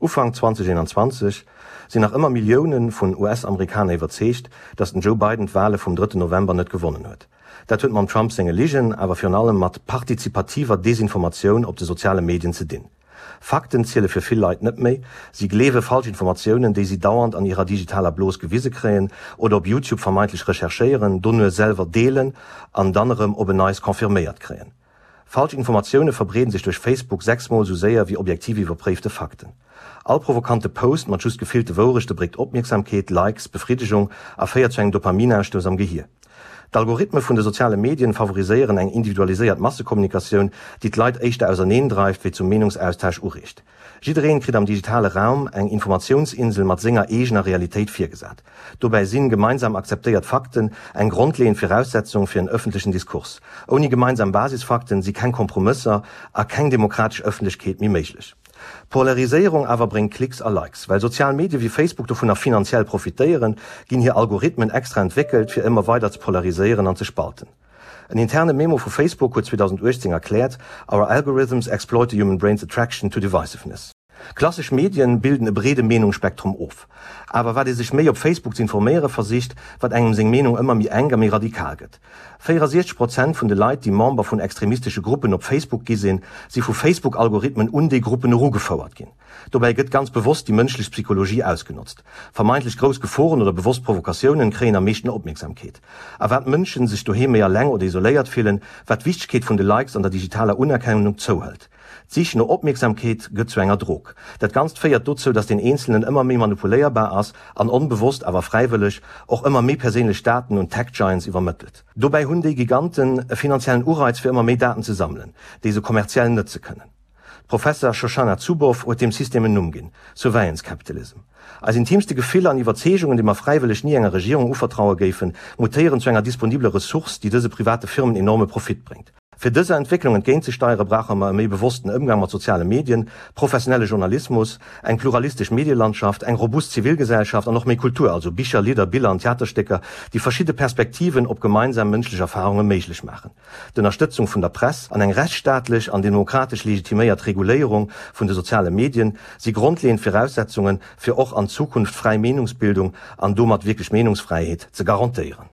Ufank 2021 sinn nach ëmmer Millioune vun US-Amerikaner iwwerzeegt, datt den Joe Biden d'Wale vum drëtten November net gewonnen huet. Dat huet mam Trump senge Ligen, awer virun allem mat partizipativer Desinformatioun op de soziale Medien ze dinn. Fakten ziele fir vill Leit net méi, si gleewe falsch Informatiounen, déi si dauernd an hirer digitaler Blos gewise kréien oder op Youtube vermeintlech recherchéieren, dono selwer deelen an dann erëm op en Neits confirméiert kréien. Falsch Informatioune verbreeden sech duerch Facebook 6 mol sou séier wéi objektiv iwwerpréifte Fakten. All provokante Post mat just gefillte Wourechte bréckt Opmierksamkeet, Likes, Befriddegung a féiert zu engem Dopaminausstouss am Gehier. D'Algorithme vun de soziale Medien favoriséieren eng individualiséiert Massekommunikatioun, déi d'Leit éischter auserneen dreift wéi zum Meenungsaustausch ureegt. Jiddereen kritt am digitale Raum eng Informatiounsinsel mat senger eegener Realitéit virgesat. Dobäi sinn gemeinsam akzeptéiert Fakten eng grondleeënd Viraussetzung fir en ëffentlechen Diskurs. Ouni gemeinsam Basisfakten si keng Kompromësser a keng demokratesch Ëffentlechkeet méi méiglech. Polariséierung awer bréngt Klicks a Likes. Well sozial Medie wéi Facebook dovunner finanziell profitéieren, ginn hir Algorithmen extra entwéckelt, fir ëmmer weider ze polariséieren an ze spalten. En interne Memo vu Facebook huet 2018 erkläert, Our algorithms exploit the human brain's attraction to divisiveness. Klassesch Medien bilden e breede Meenungsspektrum of. Awer wat ee sech méi op Facebook z'informéiere versicht, wat engem seng Meenung ëmmer méi enk a méi radikal gëtt. 64 Prozent vun de Leit, déi Member vun extremistesche Gruppen op Facebook gi sinn, si vu Facebook-Algorithmen un déi Gruppen erugefouert ginn. Dobäi gëtt ganz bewosst déi mënschlech Psychologie ausgenotzt. Vermeintlech grouss Geforen oder bewosst Provokatiounen kréien am meeschten Opmierksamkeet. A wat d'Mënschen sech doheem méi alleng oder isoléiert fillen, wat d'Wichtegkeet vun de Likes an der digitaler Unerkennung zouhëlt. D'Sich no Opmierksamkeet gëtt zu enger Drog. Dat Ganzt féiert dozou, dass den Eenzelnen ëmmer méi manipuléierbar ass an onbewosst, awer fräiwëlleg, och ëmmer méi perséinlech Daten un d'Tech-Giants iwwermëttelt. Dobäi hunn déi Giganten e finanziellen Ureiz fir ëmmer méi Daten ze sammelen, déi se kommerziell nëtze kënnen. D'Professer Shoshana Zuboff huet deem System en Numm ginn, Surveillance Capitalism. Eis intiimste Gefiller an Iwwerzeegungen, déi mer fräiwëlleg ni enger Regierung uvertraue géifen, mutéieren zu enger disponibeler Ressource, déi dëse private Firmen enorme Profit bréngt. Fir dëser Entwécklung entgéintzesteiere brauche mer e méi bewossten Ëmgang mat soziale Medien, professionelle Journalismus, eng pluralistesch Medielandschaft, eng robust Zivilgesellschaft an och méi Kultur, also Bicher, Lidder, Biller an Theaterstécker, déi verschidde Perspektiven op gemeinsam mënschlech Erfarunge méiglech maachen. D'Ënnerstëtzung vun der Press an eng rechtsstaatlech an demokratesch legitiméiert Reguléierung vun de soziale Medien si grondleeënd Viraussetzungen, fir och an Zukunft fräi Meenungsbildung an domat wierklech Meenungsfräiheet ze garantéieren.